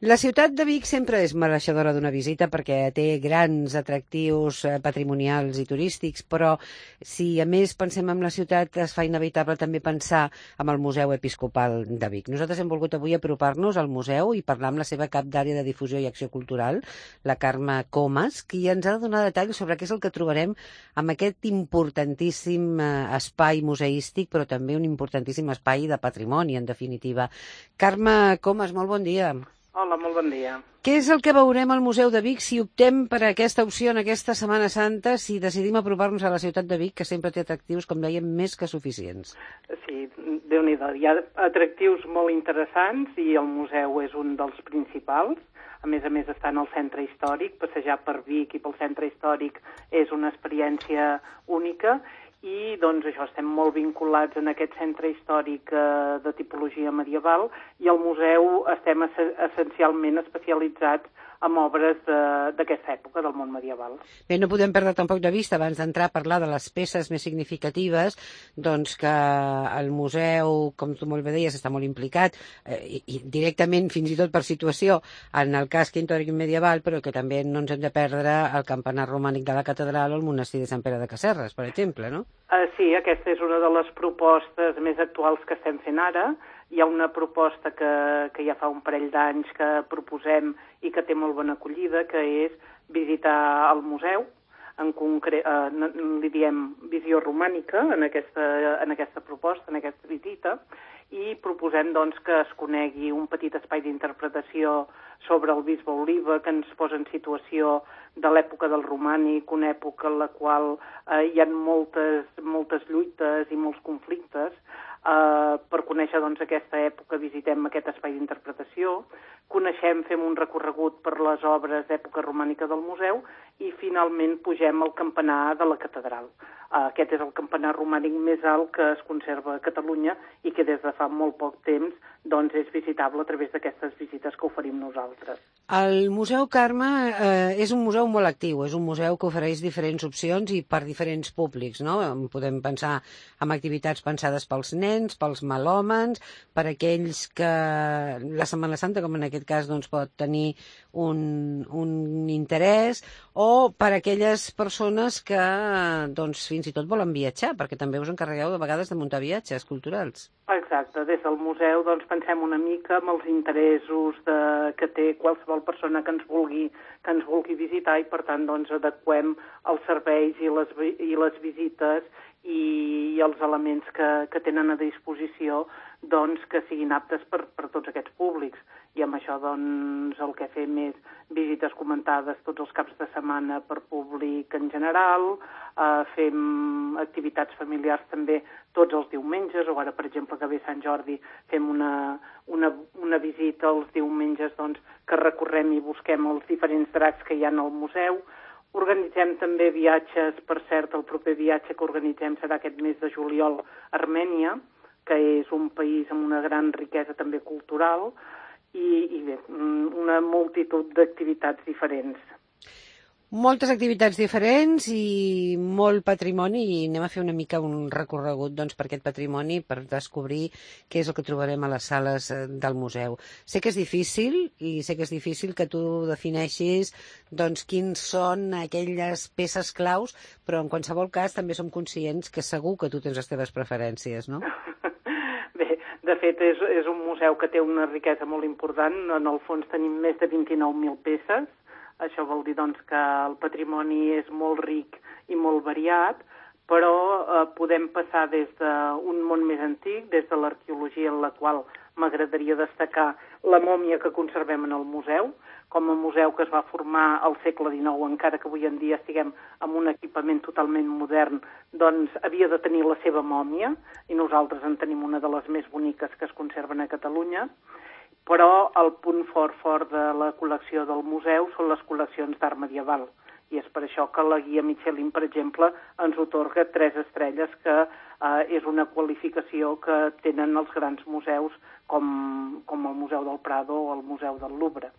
La ciutat de Vic sempre és mereixedora d'una visita perquè té grans atractius patrimonials i turístics, però si a més pensem en la ciutat es fa inevitable també pensar en el Museu Episcopal de Vic. Nosaltres hem volgut avui apropar-nos al museu i parlar amb la seva cap d'àrea de difusió i acció cultural, la Carme Comas, qui ens ha de donar detalls sobre què és el que trobarem en aquest importantíssim espai museístic, però també un importantíssim espai de patrimoni, en definitiva. Carme Comas, molt bon dia. Hola, molt bon dia. Què és el que veurem al Museu de Vic si optem per aquesta opció en aquesta Setmana Santa, si decidim apropar-nos a la ciutat de Vic, que sempre té atractius, com dèiem, més que suficients? Sí, Déu-n'hi-do. Hi ha atractius molt interessants i el museu és un dels principals. A més, està en el centre històric. Passejar per Vic i pel centre històric és una experiència única i doncs això, estem molt vinculats en aquest centre històric de tipologia medieval i al museu estem essencialment especialitzats en obres d'aquesta època del món medieval. Bé, no podem perdre tampoc de vista, abans d'entrar a parlar de les peces més significatives, doncs que el museu, com tu molt bé deies, està molt implicat, i directament, fins i tot per situació, en el casc històric medieval, però que també no ens hem de perdre el campanar romànic de la catedral o el monestir de Sant Pere de Casserres, per exemple, no? Sí, aquesta és una de les propostes més actuals que estem fent ara. Hi ha una proposta que ja fa un parell d'anys que proposem i que té molt bona acollida, que és visitar el museu, en concret, li diem visió romànica en aquesta proposta, en aquesta visita, i proposem doncs, que es conegui un petit espai d'interpretació sobre el bisbe Oliba, que ens posa en situació de l'època del romànic, una època en la qual hi ha moltes lluites i molts conflictes. Per conèixer doncs, aquesta època visitem aquest espai d'interpretació, fem un recorregut per les obres d'època romànica del museu i finalment pugem al campanar de la catedral. Aquest és el campanar romànic més alt que es conserva a Catalunya i que des de fa molt poc temps doncs, és visitable a través d'aquestes visites que oferim nosaltres. El Museu Carme és un museu molt actiu, és un museu que ofereix diferents opcions i per diferents públics, no? Podem pensar en activitats pensades pels nens, pels melòmens, per aquells que la Setmana Santa, com en aquest cas, doncs, pot tenir un interès, o per aquelles persones que doncs, fins i tot volen viatjar, perquè també us encarregueu de vegades de muntar viatges culturals. Exacte, des del museu doncs, pensem una mica en els interessos que té qualsevol persona que ens vulgui visitar i per tant doncs, adequem els serveis i les visites i els elements que tenen a disposició doncs, que siguin aptes per tots aquests públics. I amb això doncs, el que fem és visites comentades tots els caps de setmana per públic en general, fem activitats familiars també tots els diumenges, o ara, per exemple, que ve Sant Jordi, fem una visita els diumenges doncs, que recorrem i busquem els diferents dracs que hi ha al museu. Organitzem també viatges, per cert, el proper viatge que organitzem serà aquest mes de juliol a Armènia, que és un país amb una gran riquesa també cultural, i bé, una multitud d'activitats diferents. Moltes activitats diferents i molt patrimoni, i anem a fer una mica un recorregut doncs, per aquest patrimoni, per descobrir què és el que trobarem a les sales del museu. Sé que és difícil, i sé que és difícil que tu defineixis doncs, quins són aquelles peces claus, però en qualsevol cas també som conscients que segur que tu tens les teves preferències, no? Bé, de fet és un museu que té una riquesa molt important. En el fons tenim més de 29.000 peces. Això vol dir doncs, que el patrimoni és molt ric i molt variat, però podem passar des d'un món més antic, des de l'arqueologia en la qual m'agradaria destacar la mòmia que conservem en el museu, com a museu que es va formar al segle XIX, encara que avui en dia estiguem amb un equipament totalment modern, doncs havia de tenir la seva mòmia, i nosaltres en tenim una de les més boniques que es conserven a Catalunya. Però el punt fort de la col·lecció del museu són les col·leccions d'art medieval. I és per això que la guia Michelin, per exemple, ens atorga 3 estrelles, que és una qualificació que tenen els grans museus com el Museu del Prado o el Museu del Louvre.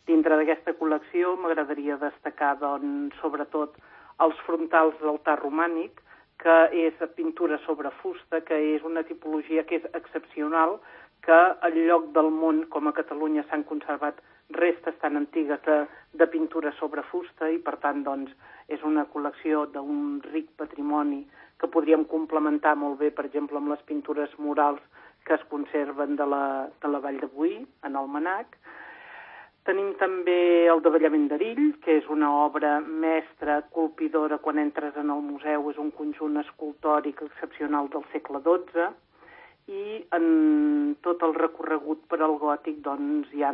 Dintre d'aquesta col·lecció m'agradaria destacar, doncs, sobretot els frontals d'altar romànic, que és pintura sobre fusta, que és una tipologia que és excepcional, que al lloc del món, com a Catalunya, s'han conservat restes tan antigues de pintura sobre fusta i, per tant, doncs, és una col·lecció d'un ric patrimoni que podríem complementar molt bé, per exemple, amb les pintures murals que es conserven de la Vall de Boí, en Almanac. Tenim també el davallament d'Erill, que és una obra mestra, colpidora, quan entres en el museu, és un conjunt escultòric excepcional del segle XII, i en tot el recorregut per al gòtic doncs, hi ha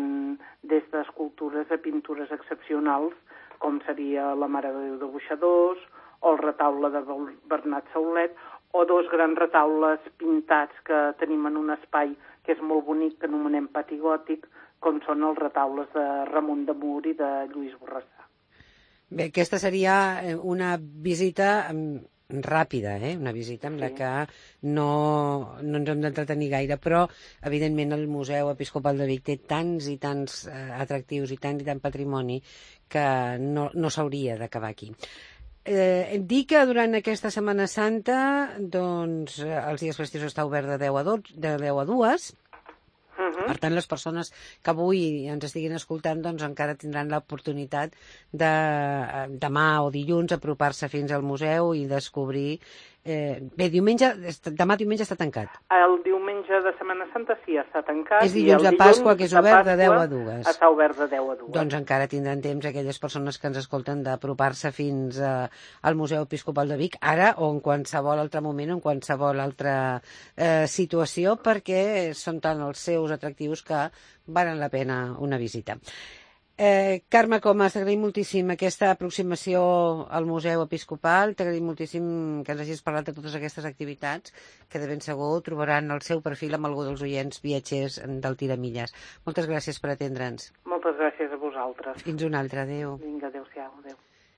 des d'escultures a pintures excepcionals, com seria la Mare de Déu de Boixadors, o el retaule de Bernat Saulet, o dos grans retaules pintats que tenim en un espai que és molt bonic, que anomenem pati gòtic, com són els retaules de Ramon de Mur i de Lluís Borrassà. Bé, aquesta seria una visita ràpida, una visita amb la que no ens hem d'entretenir gaire, però evidentment el Museu Episcopal de Vic té tants i tants atractius i tant patrimoni que no s'hauria d'acabar aquí. Dir que durant aquesta Setmana Santa doncs, els dies festius està obert de 10 a 2. Per tant, les persones que avui ens estiguin escoltant doncs encara tindran l'oportunitat de demà o dilluns apropar-se fins al museu i descobrir... Bé, demà diumenge està tancat. El diumenge de Setmana Santa sí, està tancat. És dilluns de Pasqua, que és obert de 10 a 2. Està obert de 10 a 2. Doncs encara tindran temps aquelles persones que ens escolten d'apropar-se fins al Museu Episcopal de Vic, ara o en qualsevol altre moment o en qualsevol altra situació, perquè són tant els seus atractius que valen la pena una visita. Carme Comas, t'agraïm moltíssim aquesta aproximació al Museu Episcopal, t'agraïm moltíssim que ens hagis parlat de totes aquestes activitats que de ben segur trobaran el seu perfil amb algú dels oients viatgers del Tiramilles. Moltes gràcies per atendre'ns. Moltes gràcies a vosaltres. Fins una altra, adéu. Vinga, adéu-siau, adéu.